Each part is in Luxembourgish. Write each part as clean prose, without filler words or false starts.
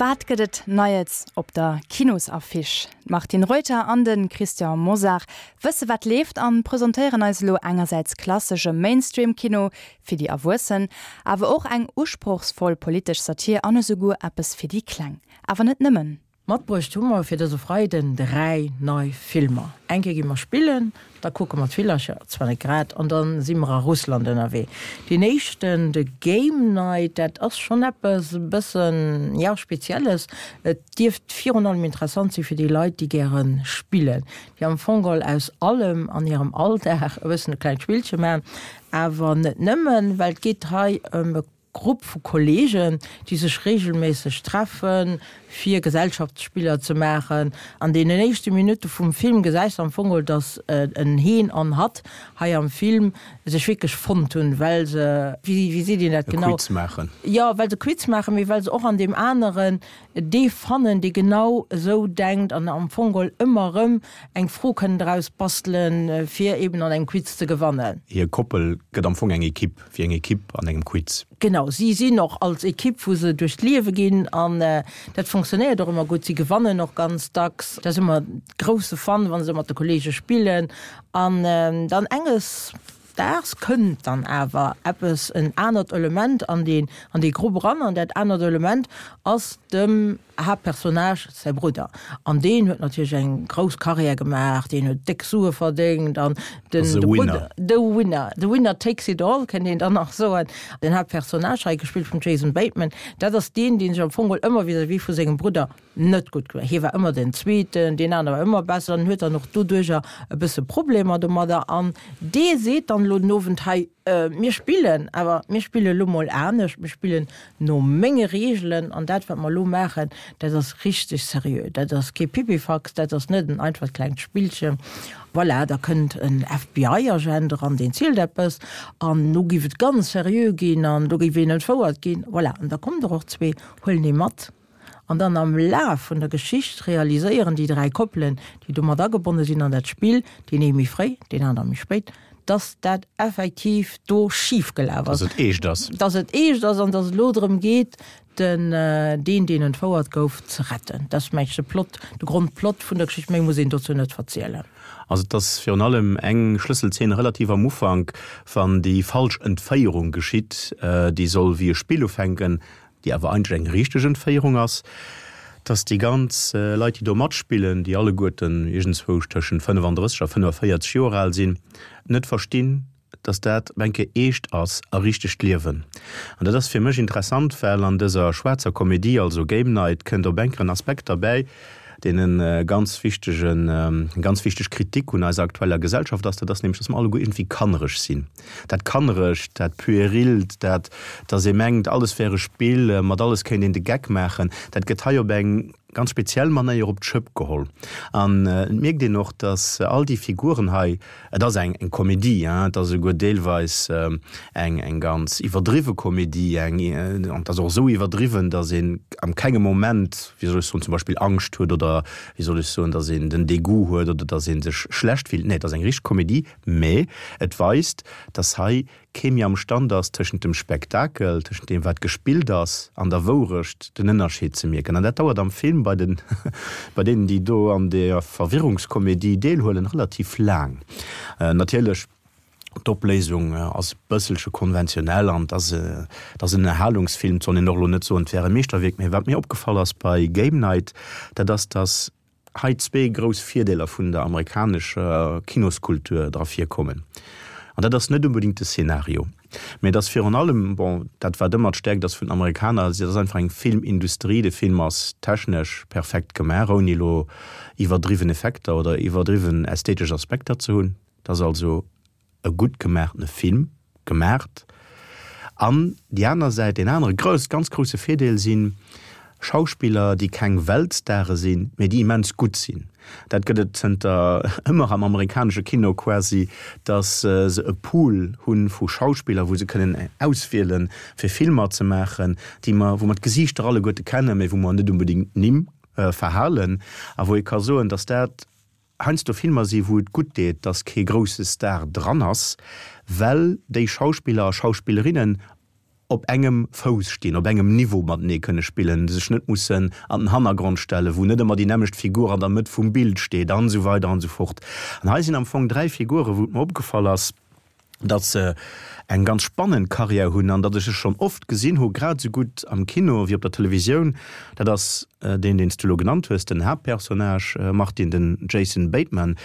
Wat gëtt et Neies op der Kinosaffiche? D'Martine Reuter an de Christian Mosar wësse wat leeft an presentéieren eis elo engersäits klassesche Mainstream-Kino fir déi Erwuessen, awer och eng usprochsvoll politesch Satir an esouguer eppes fir déi Kleng. Awer net nëmmen. Matbruecht hu mer fir dëse Freiden 3 nei Filmer. Eng Kéier gi mer spillen, da kucke mer d'Villercher, zwar net grad, an da si mer a Russland ënnerwee. Deen éischten, de Game Night, dat ass schonn eppes e bëssen, jo, Spezielles. Et dierft virun allem interessant si fir déi Leit, déi gäre spillen, déi am Fong geholl aus allem an hirem Alldag e bëssen e klengt Spillche maachen. Awer net nëmmen, well et geet hei ëm e Grupp vu Kolleegen, déi sech reegelméisseg treffen, fir Gesellschaftsspiller ze maachen. An deenen éischte Minutte vum Film gesäis de am Fong geholl, dass en heen an hatt hei am Film sech wierklech fonnt hunn, well se, wéi seet een dat E genau? Quiz maachen. Jo, well se Quiz maachen, mee well se och an deem aneren dee fannen, dee genau esou denkt an am Fong geholl ëmmer erëm eng Fro kënnen draus bastelen, fir eben an engem Quiz ze gewannen. Hir Koppel gëtt am Fong eng Ekipp. Wéi eng Ekipp an engem Quiz. Genau, si sinn och als Ekipp, wou se duerch d'Liewe ginn an dat fonctionnéiert och ëmmer gutt. Si gewannen och ganz dacks. Dat ass ëmmer grousse Fun, wa se mat de Kolleege spillen. An dann enges Daags kënnt dann awer eppes, en anert Element an dee an dee Grupp eran. An dat anert Element ass dem Haaptpersonnage säi Brudder, an deen huet natierlech eng grouss Carrière gemaach, deen huet déck Sue verdéngt an den The Winner. The Winner, the winner takes it all kënnt een dann nach soen. Den Haaptpersonnage, hei gespillt vum Jason Bateman, dat ass deen, dee sech am Fong geholl ëmmer vis-à-vis vu sengem Brudder net gutt gemaach. Hie war ëmmer den Zweeten, deen anere war ëmmer besser an huet dann och doduercher e bësse Problemer domadder. An dee seet dann elo den Owend, hei, Mir spillen, awer mir spille lo mol anescht, mir spillen no menge Reegelen an dat wat mer elo maachen, dat ass richteg seriö, dat ass kee Pipifax, dat ass net en einfacht klengt Spillchen. Voilà, da kënnt en FBI-Agent eran, deen zielt eppes an elo géif et ganz seriö ginn an do géif een entfouert ginn. Voilà, an da kommen der och zwee, huelen ee mat. An dann am Laf vun der Geschicht realiséieren déi 3 Koppelen, déi do mat agebonne sinn an dat Spill, deen ee méi fréi, deen aner méi spéit, dass dat effektiv do schif gelaf ass. Dass et eescht ass. Dass et eescht ass an dass et elo drëm geet, den, deen, deen entfouert gouf, ze retten. Dat ass, meng ech, de Plot, de Grondplot vun der Geschicht. Méi muss een dozou net verzielen. Also et ass virun allem eng Schlësselzeen relativ am Ufank, wann déi falsch Entféierung geschitt, déi soll wéi e Spill ufänken, déi awer eigentlech eng richteg Entféierung ass, dass déi ganz Leit, déi do matspillen, déi alleguerten iergendzwousch tëschent 35 a 45 Joer al sinn, net verstinn, dass dat op eng Kéier eescht ass a richtegt Liewen. An dat ass fir mech interessant, well an dëser schwaarzer Komedie, also Game Night, kënnt op eng Kéier en Aspekt derbäi, deen e ganz wichtegen, eng ganz wichteg Kritik un eiser aktueller Gesellschaft ass, dat ass nämlech, dass mer alleguer iergendwéi kannereg sinn. Dat Kannerecht, dat Puerilt, dat, dass ee mengt, alles wär e Spill, mat alles kéint een de Geck maachen, dat gëtt hei op eng ganz speziell Manéier op d'Schëpp geholl. An et mierkt een och, dass all déi Figuren hei, et ass eng Komedie, hein, et ass esouguer deelweis eng eng ganz iwwerdriwwe Komedie, eng, an et ass och esou iwwerdriwwen, dass een am kengem Moment, wéi soll ech soen, zum Beispill Angscht huet oder, wéi soll ech soen, dass een den Degoût huet oder dass ee sech schlecht fillt. Nee, et ass eng richteg Komedie, Mä et weist, dass hei kee méi am Stand ass, tëschent dem Spektakel, tëschent deem, wat gespillt ass, an der Wourecht den Ënnerscheed ze mierken. An dat dauert am Film bei den, bei deenen, déi do an der Verwirrungskomedie deelhuelen, relativ laang. Natierlech, d'Opléisung ass e bësselche konventionell an et ass, et ass en Ënnerhalungsfilm, et soll een och elo net soen, et wär e Meeschterwierk. Mä wat mir opgefall ass bei Game Night, dat ass, dass hei zwee grouss Virdeeler vun der amerikanescher Kinoskultur dra virkommen. An dat ass net unbedingt de Szenario, mä et ass virun allem, bon, dat wat ëmmer d'Stäerkt ass vun den Amerikaner, et ass einfach eng Filmindustrie. De Film ass technesch perfekt gemaach, ouni elo iwwerdriwwen Effekter oder iwwerdriwwen ästhetesch Aspekter ze hunn. Et ass also e gutt gemaachtene Film gemaacht. An déi aner Säit, deen anere grouss, ganz grousse Virdeel si Schauspiller, déi keng Weltstare sinn, mee déi immens gutt sinn. Dat gëtt et zënter ëmmer am amerikanesche Kino quasi, datt se e Pool hu vu Schauspiller, wou se kënnen auswielen, fir Filmer ze maachen, déi mer, wou mer d'Gesiichter alleguerte kennen, mee wou mer net unbedingt d'Nimm verhalen a wou ee ka soen, datt dat heiansdo Filmer si wou et gutt deet, dass kee grousse Star dran ass, well déi Schauspiller a Schauspillerinnen. op engem Fouss stinn, op engem Niveau matenee kënne spillen, sech net mussen an den Hannergrond stellen, wou net ëmmer déi nämmlecht Figur an der Mëtt vum Bild steet an esou weider an esou fort. An hei sinn am Fong 3 Figuren, wou et mer opgefall ass, datt se eng ganz spannend Karriär hunn an datt ech se schonn oft gesinn hu, grad esou gutt am Kino wéi op der Televisioun. Dat ass deen, deen s du elo genannt hues, den Haaptpersonnage, Martine, den Jason Bateman.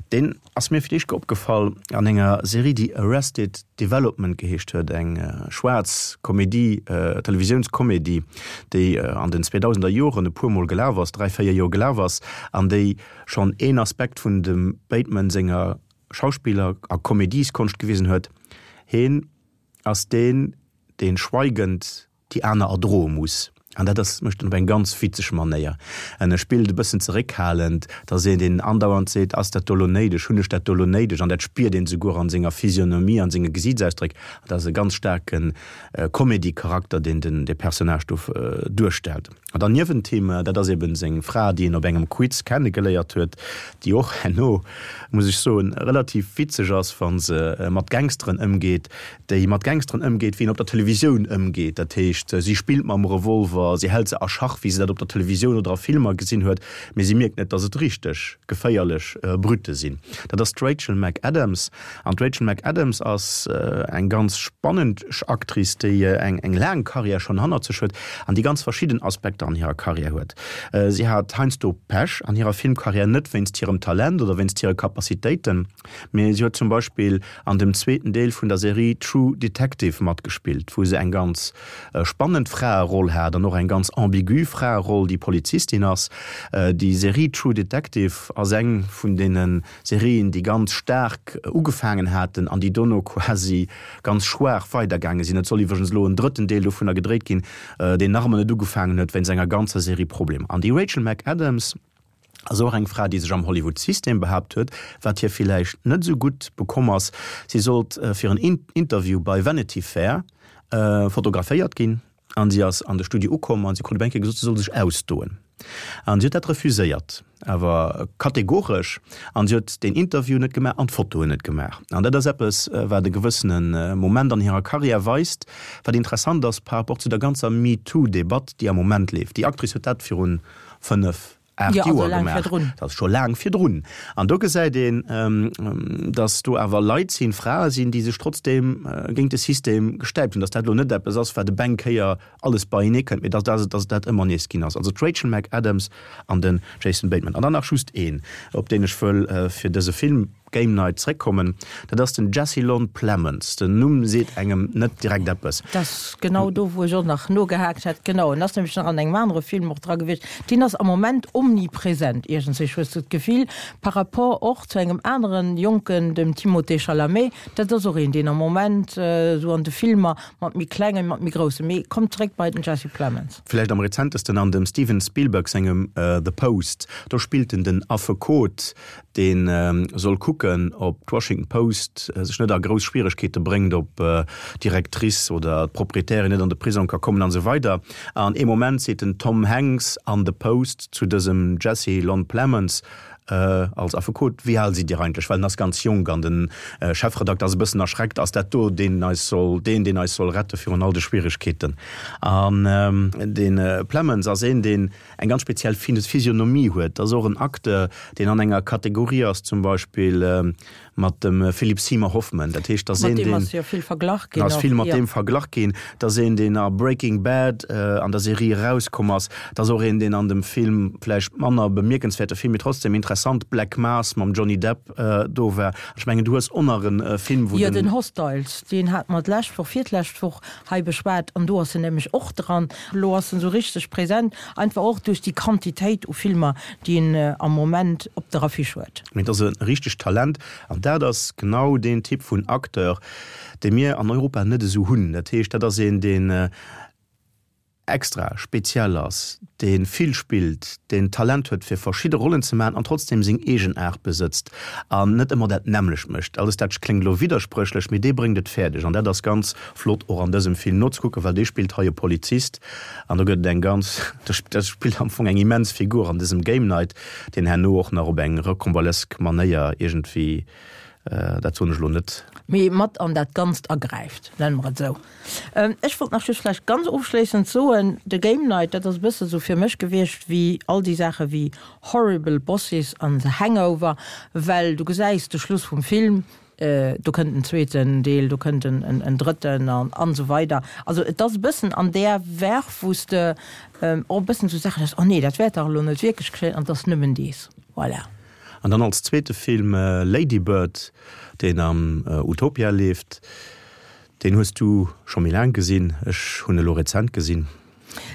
Deen ass mir fir d'éischt opgefall an enger Serie, déi Arrested Development geheescht huet, eng schwaarz Komedie, Televisiounskomedie, déi an den 2000er Joren e puer Mol gelaf ass, 3, 4 Joer gelaf ass an déi schonn een Aspekt vun dem Bateman senger Schauspiller a Komedieskonscht gewisen huet, heen ass deen, deen schweigend déi aner erdroe muss. An dat ass, mécht en op eng ganz witzeg Manéier. En e spillt e bëssen zeréckhalend, et ass een, deen andauernd seet, Ass dat do lo néideg? Hunn ech dat do lo néideg? An dat spiert een souguer an senger Physionomie, an senge Gesiitsausdréck. An dat ass e ganz staarke Comedy-Charakter, deen den, dee Personnage do duerstellt. An dann niewent him, dat ass eben seng Fra, déi en op engem Quiz kennegeléiert huet, déi och herno, muss ech soen, relativ witzeg ass, wa se mat Gangsteren ëmgeet, déi mat Gangsteren ëmgeet, wéi een op der Televisioun ëmgeet. Dat heescht, si spillt mam Revolver, si hält se a Schach, wéi se dat op der Televisioun oder a Filmer gesinn huet, mee si mierkt net, datt et richteg geféierlech Brütte sinn. Dat ass d'Rachel McAdams. An d'Rachel McAdams ass eng ganz spannend Actrice, déi eng laang Karriär schonn hannert sech huet an déi ganz verschidden Aspekter an hirer Karriär huet. Si hat heiansdo Pech an hirer Filmkarriär, net wéinst hirem Talent oder wéinst hire Capacitéiten, mee si huet zum Beispill an dem zweeten Deel vun der Serie True Detective matgespillt, wou se eng ganz spannend Fraeroll hat an och eng ganz ambigu Fraeroll, déi Polizistin ass. Déi Serie True Detective ass eng vun deene Serien, déi ganz staark ugefaangen haten an déi dono quasi ganz schwaach weidergaange sinn. Et soll iwwregens elo en drëtten Deel dovunner gedréit ginn, deen nach ëmmer net ugefaangen huet, wéinst enger ganzer Serie Problemer. An déi Rachel McAdams ass och eng Fra, déi sech am Hollywood-System behaapt huet, wat hir villäicht net esou gutt bekomm ass. Si sollt fir en Interview bei Vanity Fair fotograféiert ginn. An si ass an de Studio ukomm an si krut op eng Kéier gesot, si soll sech ausdoen. An si huet dat refuséiert, awer kategoresch. An si huet deen Interview net gemaach an d'Fotoen net gemaach. An dat ass eppes, wat e gewëssene Moment an hirer Karriär weist, wat interessant ass par rapport zu der ganzer MeToo-Debatt, déi am Moment leeft. Déi Actrice huet dat virun 5, 8 Jo, also Joer laang gemaach. virdrun. Dat ass scho laang virdrun. An do gesäit een, datt do awer Leit sinn, Frae sinn, déi sech trotzdeem géint de System gestäipt hunn. Datt dat elo net eppes ass, wat op eng Kéier alles beienee kënnt, mee datt datt dat ëmmer nees ginn ass. Also d'Rachel McAdams an den Jason Bateman. An dann nach just een, op deen ech wëll fir dëse Film Game Night zréckkommen, dat ass den Jesse Lon Plemons. Den Numm seet engem net direkt eppes. Dat ass genau do, wou ech och nach nogehaakt hätt. Genau, en ass nämlech nach an engem anere Film och dra gewiescht. Deen ass am Moment omnipresent iergendswéi, hues du d'Gefill, par rapport och zu engem aneren Jonken, dem Timothée Chalamet. Dat ass och een, deen am Moment esou an de Filmer mat méi klengen, mat méi groussen, mee kommt zréck bei den Jesse Plemons. Vläicht am rezentesten an dem Steven Spielberg sengem The Post. Do spillt en den Affekot, dee soll kucken, ob d'Washington Post sech net a grouss Schwieregkeete bréngt, ob d'Directrice oder d'Proprietärin net an de Prisong ka kommen an esou weider. An ee Moment seet den Tom Hanks an The Post zu dësem Jesse Lon Plemons als Affekot, Wéi al sidd Dir eigentlech? Well en ass ganz jonk an de Chefredakter ass e bëssen erschreckt, Ass dat do deen eis soll, deen, deen eis soll rette virun all de Schwieregkeeten? An de Plemons ass een, deen eng ganz speziell Physionomie huet. Dat ass och en Acteur, deen an enger Kategorie ass, zum Beispill mat dem Philip Seymour Hoffman. Dat heescht, dat ass een, deen. Mat deem ass jo vill verglach ginn. Ass vill mat deem verglach ginn. Dat ass een, deen a Breaking Bad an der Serie erauskomm ass. Dat ass och een, deen an dem Film, vläicht manner bemierkenswäerte Film, mee trotzdem interessant, Black Mass mam Johnny Depp do war. Ech mengen, du hues och nach e Film, wou den. Jo, den Hostiles, deen hate mer d'lescht Woch, virtlescht Woch hei beschwat an do ass en nämlech och dran. Elo ass en esou richteg present, einfach och duerch déi Quantitéit u Filmer, déi en am Moment op der Affiche huet. Mee et ass e richtegt Talent an dat ass genau deen Typ vun Acteur, dee mir an Europa net esou hunn. Dat heescht, dat ass een, deen extra speziell ass, dee vill spillt, deen Talent huet fir verschidde Rollen ze maachen an trotzdem seng eegen Aart besëtzt an net ëmmer dat nämmlecht mécht. Alles dat kléngt elo widderspréchlech, mee dee bréngt et fäerdeg an dat ass ganz flott och an dësem Film nozekucken, well dee spillt hei e Polizist an do gëtt et eng ganz, dat spillt am Fong eng immens Figur an dësem Game Night, deen herno och nach op eng rocambolesque Manéier iergendwéi. Dat soen ech elo net. Mee mat an dat Ganzt agräift, nenne mer et esou. Ech wollt nach just vläicht ganz ofschléissend soen, de Game Night, dat ass e bësse sou fir mech gewiescht wéi all déi Saache wéi Horrible Bosses an The Hangover, well du gesäis de Schluss vum Film, do kënnt en zweeten Deel, do kënnt en drëtten an esou weider. Also et ass e bëssen an där Verve, wou s de och e bëssen esou Saachen hues, oh nee, dat wäert dach elo net wierklech geschéien an et ass nëmmen dees. Voilà. An dann als zweete Film Lady Bird, deen am Utopia leeft. Deen hues du scho méi laang gesinn, ech hunn e lo rezent gesinn.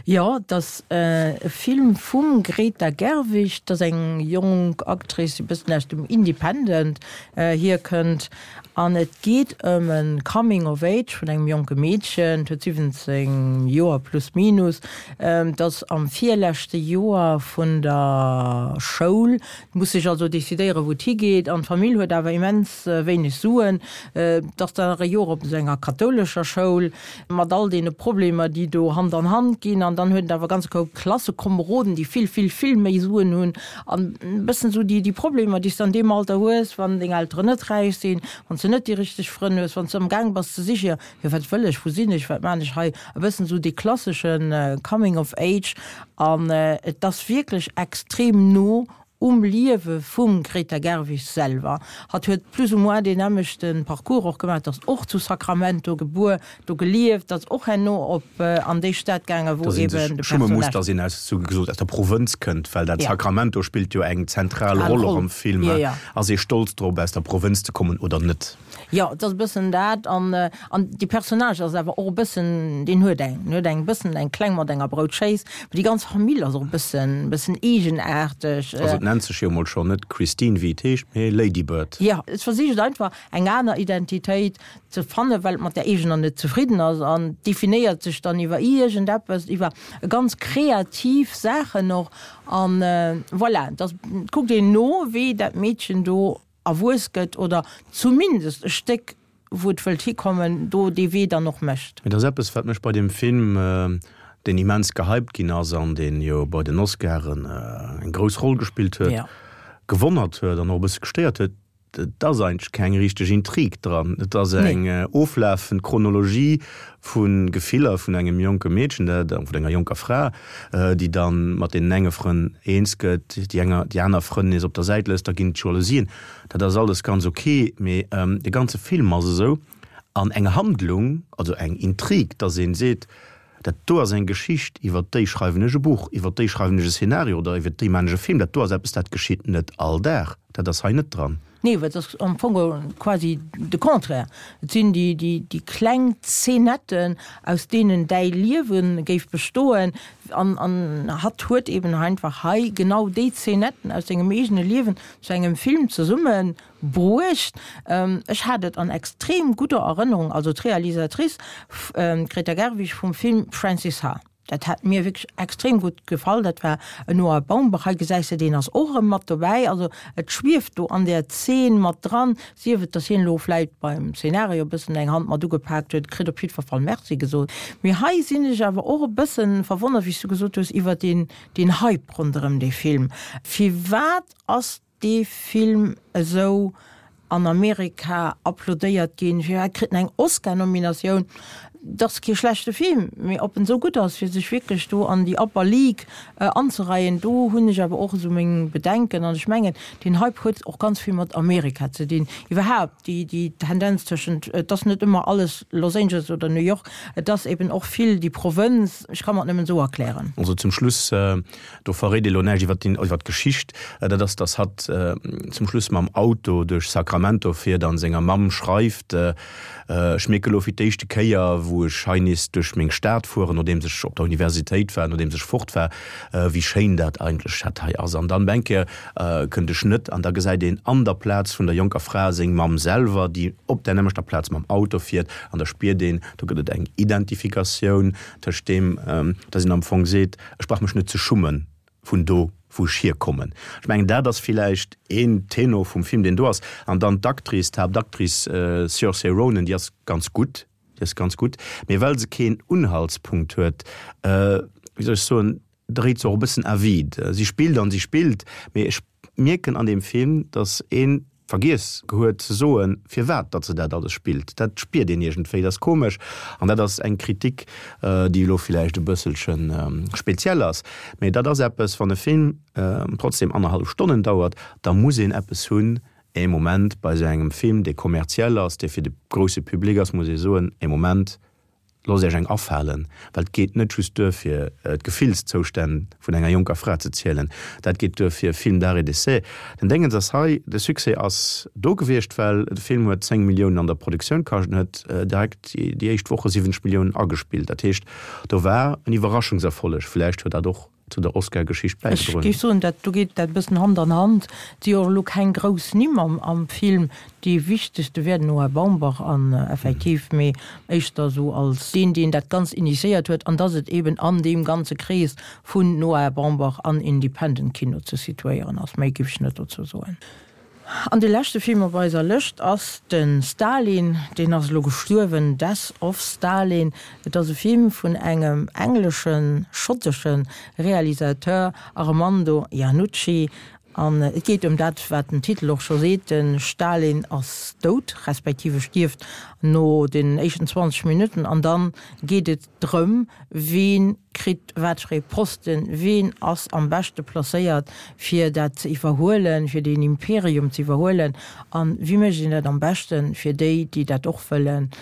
Jo, et ass e Film vum Greta Gerwig. Dat ass eng jonk Actrice, déi e bëssen aus dem Independent hierkënnt. An et geet ëm e Coming of Age vun engem jonke Meedchen, et huet 17 Joer plus minus, et ass am virleschte Joer vun der Schoul, muss sech also decidéieren, wou et higeet. An d'Famill huet awer immens wéineg Suen. Et ass dann nach e Joer op esou enger kathoulescher Schoul, mat all deene Problemer, déi do Hand an Hand ginn. An dann huet et awer e ganze Koup Klassekomeroden, déi vill, vill, vill méi Suen hunn. An e bëssen esou déi Problemer, déi s de an deem Alter hues, wann deng Elteren net räich sinn, wann s de net déi richteg Frënn hues, wann s de amgaang bass ze sichen, jo wat wëll ech, wou sinn ech, wat maan ech hei, e bëssen esou dee klassesche Coming of Age. An et ass wierklech extrem no um Liewe vum Greta Gerwig selwer. Hatt huet plus ou moins deen nämmlechte Parcours och gemaach, ass och zu Sacramento gebuer, do gelieft, ass och herno op an déi Stad gaangen, wou Dass een eben sech de schumme muss, Personnage. dass een aus, sou gesot, aus der Provënz kënnt, well dat Ja. Sacramento spillt jo eng zentral Al Roll och Roll. am Film. Jo, jo. Ass ee stolz drop, aus der Provënz ze kommen oder net? Jo, et ass e bëssen dat. An, an dee Personnage ass awer och e bëssen, deen huet eng, deen huet eng bëssen eng kleng mat enger Broutschéiss. Mee déi ganz Famill ass och e bëssen, bëssen eegenaarteg. Also et nennt sech jo emol schonn net Christine, wéi et heescht, mee Lady Bird. Jo, et versicht einfach eng aner Identitéit ze fannen, well et mat där eegener net zefridden ass an definéiert sech dann iwwer iergendeppes, iwwer ganz kreativ Saachen och. An voilà, da kuckt een no, wéi dat Meedchen do erwuess gëtt oder zumindest e Stéck, wou et wëllt hikommen, do dee Wee dann och mécht. Et ass eppes, wat mech bei deem Film, deen immens gehypt ginn ass an deen jo bei den Oscaren eng grouss Roll gespillt huet, gewonnert huet an och e bësse gestéiert huet, Et ass eigentlech keng richteg Intrig dran. Et ass eng oflafend Chronologie vu Gefiller vun engem jonke Meedchen, dat, vun enger jonker Fra, déi da mat deenen enge Frënn eens gëtt, déi enger, déi aner Frënn nees op der Säit lësst, da ginn et Jalousien. Dat ass alles ganz ok, mee de ganze Film ass esou an eng Handlung, also eng Intrig, dass ee seet, Dat do ass eng Geschicht, iwwer déi schreiwen ech e Buch, iwwer déi schreiwen ech e Szenario oder iwwer déi maan ech e Film. Dat do ass eppes, dat geschitt net all Dag. Dat ass hei net dran. Nee, well et ass am Fong quasi de Contraire. Et sinn déi, déi, déi kleng Zeenetten, aus deenen däi Liewe géif bestoen. An, an hatt huet eben einfach hei genau déi Zeenetten aus sengem eegene Liewen zu engem Film zesumme Bruecht. Ech hat et an extrem gudder Erënnerung, also d'Realisatrice, d'Greta Gerwig vum Film Frances Ha. Dat hat mir wierklech extrem gutt gefall. Dat war en Noah Baumbach. Hei gesäis de, deen ass och erëm mat dobäi. Also et schwieft do an där Zeen mat dran, sief et, datt hien elo vläit beim Szenario e bëssen eng Hand mat ugepaakt huet, kritt op jiddwer Fall Merci gesot. Mee hei sinn ech awer och e bëssen verwonnert, wéi s du gesot hues, iwwer deen, deen Hype ronderëm dee Film. Firwat ass dee Film esou an Amerika applaudéiert ginn, firwat kritt en eng Oscar-Nominatioun? Et ass kee schlechte Film, mee ob en esou gutt ass, fir sech wierklech do an déi Upper League anzereien, do hunn ech awer och esou meng Bedenken. An ech mengen, deen Hype huet och ganz vill mat Amerika ze dinn. Iwwerhaapt déi, déi Tendenz tëschent, et ass net ëmmer alles Los Angeles oder New York, et ass eben och vill déi Provënz. Ech ka mer et nëmmen esou erklären. Also zum Schluss Do verréit ee lo näischt iwwer iwwer d'Geschicht. Dat ass, dass hatt zum Schluss mam Auto duerch Sacramento fiert an senger Mamm schreift, Ech mierke lo fir d'éischte Kéier, wou ech hei nees duerch meng Stad fueren, nodeems ech op der Universitéit war, nodeems ech fort war, wéi schéin dat eigentlech dat hei ass. An dann op eng Kéier kënnt e Schnëtt an da gesäit een an der Plaz vun der jonker Fra seng Mamm selwer, déi op där nämmlechter Plaz mam Auto fiert. An da spiert een, do gëtt et eng Identifikatioun tëscht deem, dass een am Fong seet, Ech brauch mech net ze schummen vun do, wou ech hierkommen. Ech mengen, dat ass villäicht een Tenor vum Film, deen do ass. An dann d'Actrice, d'Haaptactrice Saoirse Ronan, déi ass ganz gutt, déi ass ganz gutt, mee well se keen Unhaltspunkt huet, wéi soll ech soen, dréit se och e bëssen à vide. Si spillt an si spillt, mee ech mierken an deem Film, datt een. Vergiess huet ze soen, firwat datt se dat alles spillt. Dat spiert een iergendwéi, dat ass komesch. An dat ass eng Kritik, déi elo villäicht e bësselche speziell ass, mee dat ass eppes, wann e Film trotzdem annerhallef Stonnen dauert, da muss een eppes hunn, ee Moment bei esou engem Film, dee kommerziell ass, dee fir de grousse Public ass, muss ee soen, ee Moment, Loosst Iech eng afalen, well et geet net just duer fir d'Gefillszoustänn vun enger jonker Fra ze zielen, dat geet duer fir e Film d'art et d'essai. Den Déngens ass hei, de Succès ass do gewiescht, well de Film huet 10 Milliounen an der Produktioun kascht en huet direkt déi éischt Woche 70 Milliounen agespillt. Dat heescht, do war en Iwwerraschungserfolleg. Vläicht huet dat och zu der Oscar-Geschicht Ech bäigedroen. géif soen, dat do geet dat e bëssen Hand an Hand. Et si jo och elo keng grouss Nimm am am Film. Dee wichtegste wär den Noah Baumbach an effektiv, mee éischter esou als deen, deen dat Ganzt initiéiert huet an dass et eben an deem ganze Krees vun Noah Baumbach an Independent Kino ze situéieren ass. Méi géif ech net dozou soen. An de leschte Film op eiser Lëscht ass de Stalin, deen ass elo gestuerwen, Death of Stalin. Et ass e Film vun engem engleschen, schottesche Realisateur, Armando Iannucci. An et geet ëm dat, wat den Titel och scho seet, de Stalin ass dout, respektiv e stierft no den éischten 20 Minutten. An dann geet et drëm, ween kritt wat fir ee Posten, ween ass am beschte placéiert fir dat ze iwwerhuelen, fir deen Imperium ze iwwerhuelen an wéi mécht een dat am beschten, fir déi, déi dat och wëllen,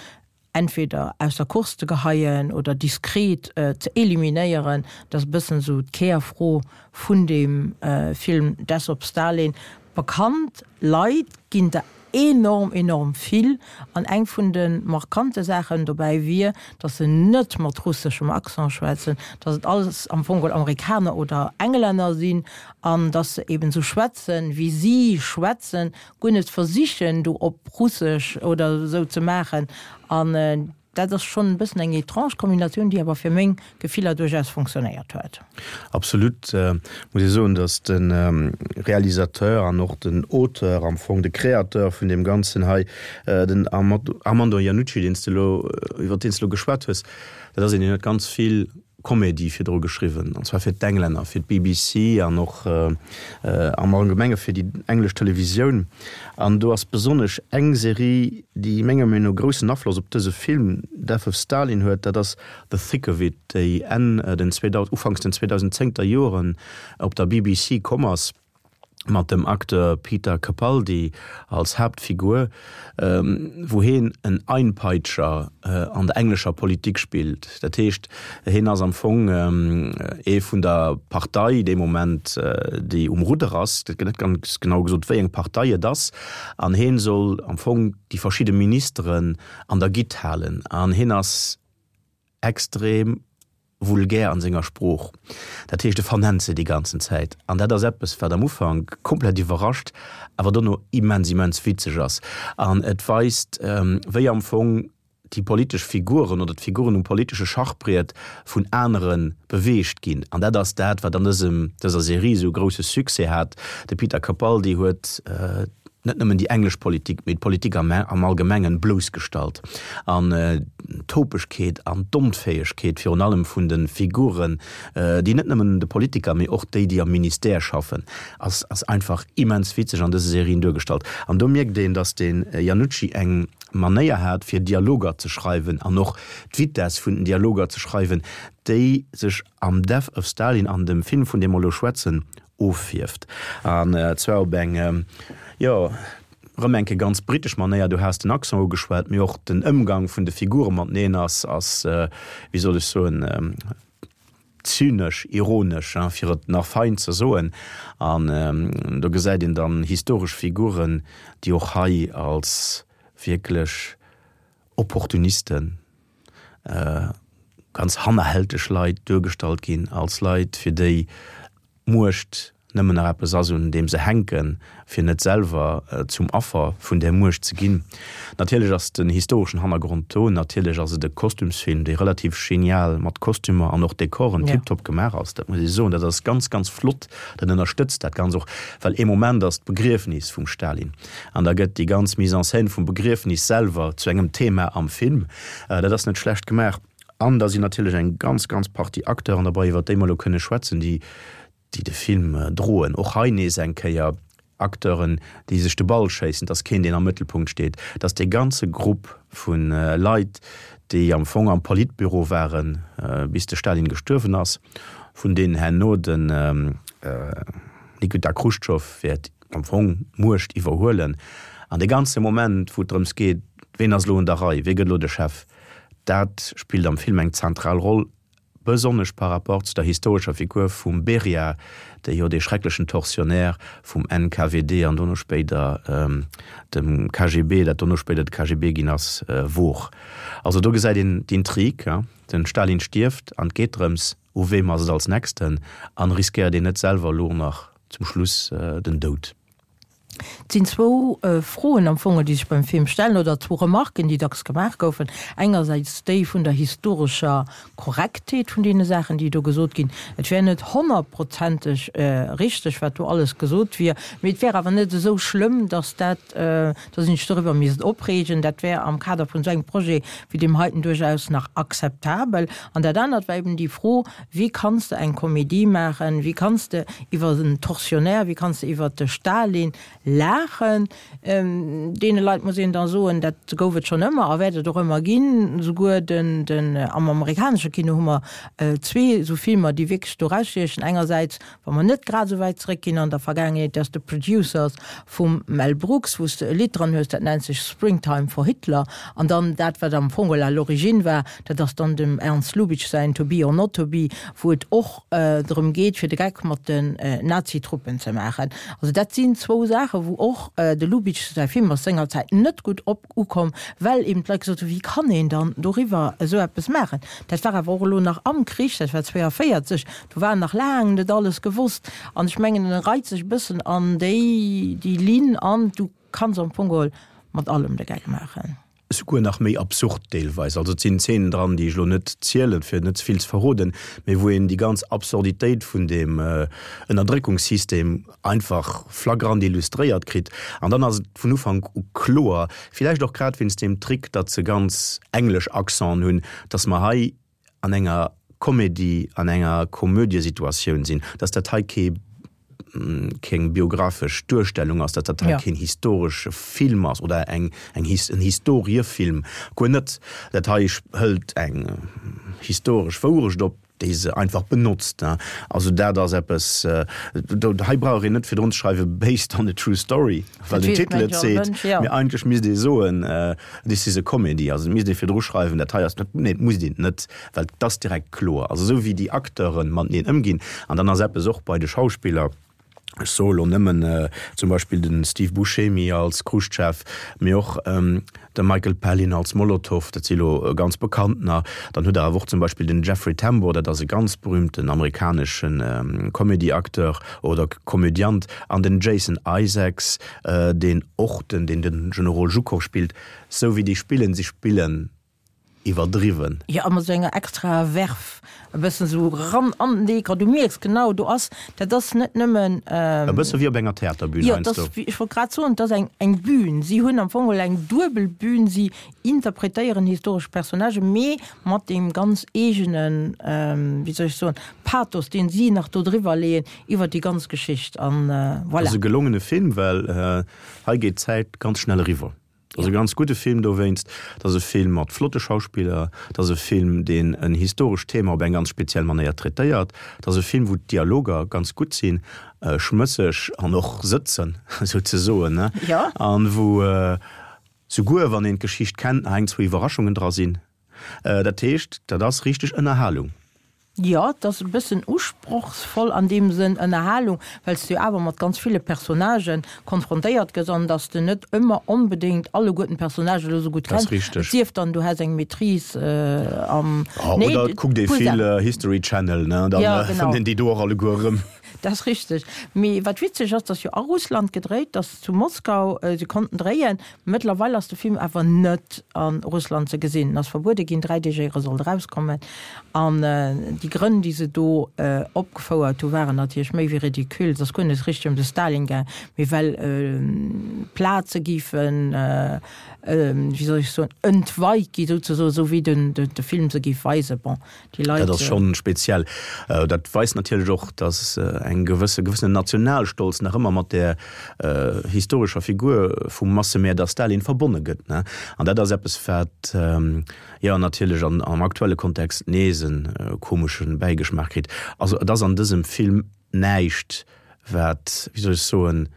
entweder aus der Course ze geheien oder diskret ze eliminéieren. Dat ass e bëssen esou d'Kärfro vun deem Film Death of Stalin. Bekannt Leit ginn der enorm, enorm vill. An eng vun de markante Saachen dobäi wier, datt se net mat russeschem Accent schwätzen, datt et alles am Fong geholl Amerikaner oder Englänner sinn an datt se eben esou schwätzen, wéi si schwätzen, guer net versichen, do op russesch oder esou ze maachen. An Dat ass schonn e bëssen eng étrange Kombinatioun, déi awer fir meng Gefiller duerchaus fonctionnéiert huet. Absolut muss ee soen, datt de Realisateur an och den Auteur, am Fong de Créateur vun deem Ganzen hei, den Armando Iannucci, deen s de elo, iwwer deen s de elo geschwat hues, dat ass een, deen huet ganz vill Comédie virdru geschriwwen, an zwar fir d'Englänner, fir d'BBC an och am Allgemenge fir déi englesch Televisioun. An do ass besonnesch eng Serie, déi menger Meenung no groussen Afloss op dëse Film Death of Stalin huet, dat ass The Thick of It, déi Enn den 2000, Ufanks den 2010er Joren op der BBC komm ass. mat dem Acteur Peter Capaldi als Haaptfigur, wou heen en Einpeitscher an der englescher Politik spillt. Dat heescht, heen ass am Fong ee vun der Partei dee Moment, déi um Rudder ass. Et gëtt net ganz genau gesot, wéi eng Partei et ass. An heen soll am Fong déi verschidde Ministeren an der Gitt halen. An heen ass extrem vulgär an senger Sprooch. Dat heescht, e vernennt se déi ganzen Zäit. An dat ass eppes, wat am Ufank komplett iwwerrascht, awer dono immens, immens witzeg ass. An et weist, wéi am Fong déi politesch Figuren oder d'Figuren um politesche Schachbriet vun anere beweegt ginn. An dat ass dat, wat an dësem, dëser Serie esou e grousse Succès hat. De Peter Capaldi huet net nëmmen déi englesch Politik, mee d'Politik am Allgemengen bloussgestallt. An d'Topegkeet an d'Onfäegkeet virun allem vun de Figuren, déi net nëmmen de Politiker, mee och déi, déi am Ministère schaffen, ass ass einfach immens witzeg an dëse Serien duergestallt. An do mierkt een, datt de Iannucci eng Manéier hat, fir Dialoger ze schreiwen an och d'Vitess vun den Dialoger ze schreiwen, déi sech am Death of Stalin, an dem Film, vun deem mer elo schwätzen, ofhierft. An zwar op eng, jo, erëm eng Kéier ganz britesch Manéier. Du has den Accent ugeschwat, mee och den Ëmgang vun de Figure mateneen ass, ass, wéi soll ech soen, zynesch, ironesch, fir et nach fein ze soen. An do gesäit een dann historesch Figuren, déi och hei als wierklech Opportunisten, ganz hannerhälteg Leit duergestallt ginn, als Leit, fir déi d'Muecht nëmmen nach eppes ass, un deem se hänken, fir net selwer zum Affer vun där Muecht ze ginn. Natierlech ass den historeschen Hannergrond do, natierlech ass et e Kostümsfilm, dee relativ genial mat Kostümer an och Dekoren tiptop gemaach ass, dat muss ee soen, dat ass ganz, ganz flott, dat ënnerstëtzt dat Ganz och, well ee Moment ass d'Begriefnis vum Stalin an da gëtt déi ganz Mise en scène vum Begriefnis selwer zu engem Thema am Film, dat ass net schlecht gemaach. An da sinn natierlech eng ganz, ganz Partie Acteuren derbei, iwwert déi mer elo kënne schwätzen, déi, déi de Film droen. Och hei nees eng Kéier. Acteuren, déi sech de Ball schéissen, et ass keen, deen am Mëttelpunkt steet, et ass dee ganze Grupp vu Leit, déi am Fong am Politbüro waren, bis de Stalin gestuerwen ass, vun deenen herno den Nikita Chruschtschow wäert am Fong d'Muecht iwwerhuelen. An dee ganze Moment, wou et drëms geet, ween ass elo un der Rei, wee gëtt elo de Chef, dat spillt am Film eng zentral Roll. besonnesch par rapport zu der historescher Figur vum Beria, dee jo dee schrecklechen Tortionnaire vum NKWD an dono spéider dem KGB, dat dono spéider de KGB ginn ass, wor. Also do gesäit een d'Intrig, den Stalin stierft an et geet drëms, u weem ass et als nächsten an riskéiert een net selwer elo nach zum Schluss den Doud. Et sinn zwou Froen am Fong, déi sech beim Film stellen, oder zwou Remarken, déi dacks gemaach goufen. Engersäits déi vun der historescher Korrektheet vun deene Saachen, déi do gesot ginn. Et wär net honnertprozenteg richteg, wat do alles gesot wier, mee et wär awer net esou schlëmm, datt dat, datt een sech doriwwer misst opreegen. Dat wär am Kader vun esou engem Projet wéi deem heiten duerchaus nach akzeptabel. An dat anert war eben déi Fro, Wéi kanns de eng Komedie maachen, wéi kanns de iwwer en Tortionnaire, wéi kanns de iwwer de Stalin laachen? Deene Leit muss een da soen, dat gouf et schonn ëmmer a wäert et och ëmmer ginn. Souguer den, den, am amerikanesche Kino hu mer zwee esou Filmer, déi wierklech do erausstiechen. Engersäits Wa mer net grad esou wäit zeréckginn an der Vergaangenheet, dass de Producers vum Mel Brooks, wou s de e Lidd dran hues, dat nennt sech Springtime for Hitler, an dann dat, wat am Fong à l'origine war, dat ass dann dem Ernst Lubitsch säin To be or not to be, wou et och drëm geet, fir de Geck mat den Nazitruppen ze maachen. Also dat sinn zwou Saachen, wou och de Lubitsch säi Film ass sengerzäit net gutt op ukomm, well eben d'Leit gesot hunn, wéi kann een dann doriwwer esou eppes maachen. Dat war awer och elo nach am Krich, dat war 42, Do war nach laang net alles gewosst. An ech mengen, en reit sech e bëssen an déi, déi Linn an, du kanns am Fong geholl mat allem de Geck maachen. Souguer nach méi absurd deelweis. Also et sinn Zeenen dran, déi ech elo net zielen, fir net ze vill ze verroden, mee wou een déi ganz Absurditéit vun deem Ënnerdréckungssystem einfach flagrant illustréiert kritt. An dann ass et vun Ufank u kloer, villäicht och grad wéinst deem Trick, datt se ganz englesch Accenten hunn, datt mer hei an enger Komedie, an enger Komödiesituatioun sinn, dass dat hei kee keng biographesch Duerstellung ass, dass dat hei keen historesche Film ass oder eng eng en Historiefilm, guer net. Dat hei hëlt eng historesch Wourecht op, déi se einfach benotzt. Also dat ass eppes, do hei brauch een net virdrun ze schreiwe based on a true story, well den Titel et seet, mee eigentlech misst ee soen, This is a comedy. Also et misst ee virdru schreiwen, dat hei ass, nee, et musst een net, well et ass direkt kloer. Also esou wéi déi Acteure mateneen ëmginn, an dann ass eppes och bei de Schauspiller, ech soe lo nëmmen zum Beispill de Steve Buscemi als Chruschtschow, mee och de Michael Palin als Molotow, dat si lo ganz bekanntener. Dann hutt Der awer och zum Beispill den Jeffrey Tambor, dat ass e ganz berühmten amerikanesche Comedy-Acteur oder Komödiant, an den Jason Isaacs, deen och den, deen den Generol Zhukov spillt, sou wéi déi spillen, si spillen iwwerdriwwen. Jo, a mat sou enger extraer Verve, e bëssen sou ran an den Dekor, du mierks genau, do ass, dat ass net nëmmen. E bësse wéi op enger Theaterbün heiansdo. Jo, et ass, ech wollt grad soen, et ass eng, eng Bühn. Si hunn am Fong geholl eng duebel Bühn, si interpretéieren historesch Personnagen, mee mat deem ganz eegenen, wéi soll ech soen, Pathos, deen si nach do driwwer leeën, iwwer déi ganz Geschicht an voilà. Ass e gelongene Film, well hei geet d'Zäit ganz schnell eriwwer. Ass e ganz gudde Film dowéinst. Et ass e Film mat flotte Schauspiller, et ass e Film deen en historescht Thema op eng ganz speziell Manéier traitéiert, et ass e Film wou d'Dialoger ganz gutt sinn, schmësseg an och sëtzen souzesoen, an wou souguer wann een d'Geschicht kennt nach eng zwou Iwwerraschungen dra sinn. Dat heescht, dat ass richteg Ënnerhalung. Jo, et ass e bëssen usprochsvoll an deem Sënn, Ënnerhalung, well s de jo awer mat ganz ville Personnagen konfrontéiert gëss an dass de net ëmmer onbedéngt alleguerten d'Personnagen elo sou gutt kenns. Et sief dann, du häss eng Maîtrise am. Nee, oder et kuckt ee vill History Channel, ne, da fënnt een déi do och alleguer erëm. Dat ass richteg. Mee wat witzeg ass, dass jo a Russland gedréit, dass zu Moskau se konnten dréien. Mëttlerweil ass de Film awer net a Russland ze gesinn. En ass verbuede ginn, 3 Deeg éier e sollt erauskommen. An déi Grënn, déi se do opgefouert hu waren natierlech méi wéi ridicule. Et ass guer net richteg ëm de Stalin gaang, mee well Plaze géifen, wéi soll ech soen, entweit gi souzesoen, esou wéi de Film se géif weisen. Bon, déi Leit. Dat ass schonn speziell. Dat weist natierlech och, dass. eng gewësse gewëssenen Nationalstolz nach ëmmer mat där historescher Figur vum Massemäerder Stalin verbonne gëtt, ne. An dat ass eppes, wat, jo, natierlech an am aktuelle Kontext nees e komesche Bäigeschmaach kritt. Also et ass an dësem Film näischt, wat, wéi soll ech soen,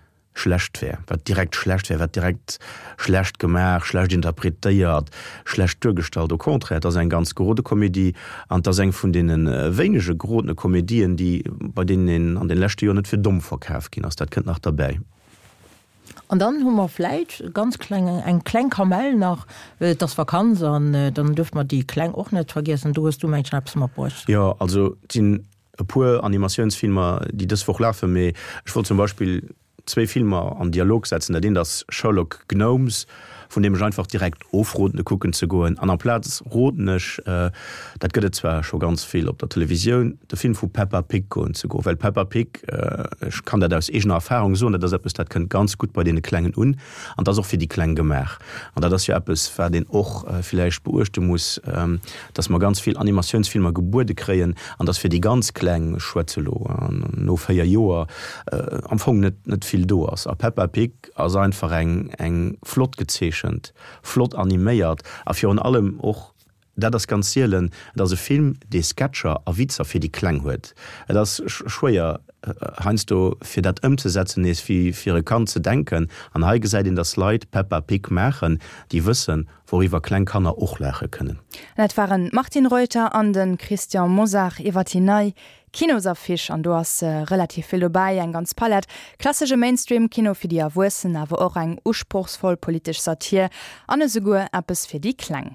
schlecht wär, wat direkt schlecht wär, wat direkt schlecht gemaach, schlecht interpretéiert, schlecht duergestallt. Au contraire, et ass eng ganz gerode Komedie an et ass eng vun deene wéinege gerodene Komedien, déi, bei deenen een an de leschte Joer net fir domm verkaf ginn ass. Dat kënnt nach derbäi. An dann hu mer vläicht e ganz kleng, eng kleng Kamell nach, well et ass Vakanz an dann duerfe mer déi Kleng och net vergiessen. Do hues du, mengen ech, nach eppes matbruecht. Jo, also et sinn e puer Animatiounsfilmer, déi dës Woch lafen, mee ech wollt zum Beispill zwéi Filmer an Dialog setzen. Dat eent ass Sherlock Gnomes, vun deem ech einfach direkt ofroden, e kucken ze goen. An amplaz roden ech, dat gëtt et zwar scho ganz vill op der Televisioun, de Film vu Peppa Pig goen ze goen. Well Peppa Pig, ech kann dat aus eegener Erfarung soen, dat ass eppes, dat kënnt ganz gutt bei deene Klengen un. An dat ass och fir déi Kleng gemaach. An dat ass jo eppes, wat een och villäicht beuechte muss, dass mer ganz vill Animatiounsfilmer gebuede kréien an dass fir déi ganz Kleng, ech schwätze elo no 4 Joer, am Fong net net vill do ass. A Peppa Pig ass einfach eng eng flott gezeechent, flott animéiert a virun allem och, Dat ass ganz sielen. Et ass e Film, dee Sketcher a Witzer fir déi Kleng huet. Et ass schwéier heiansdo fir dat ëmzesetzen, nees wéi fir e Kand ze denken. An hei gesäit een, dass Leit Peppa Pig maachen, déi wëssen, wouriwwer kleng Kanner och laache kënnen. Dat waren d'Martine Reuter an de Christian Mosar iwwer déi nei Kinosaffiche. An do ass relativ vill dobäi, eng ganz Palett, klassesche Mainstream-Kino fir déi Erwuessen, awer och eng usprochsvoll politesch Satir an esouguer eppes fir déi Kleng.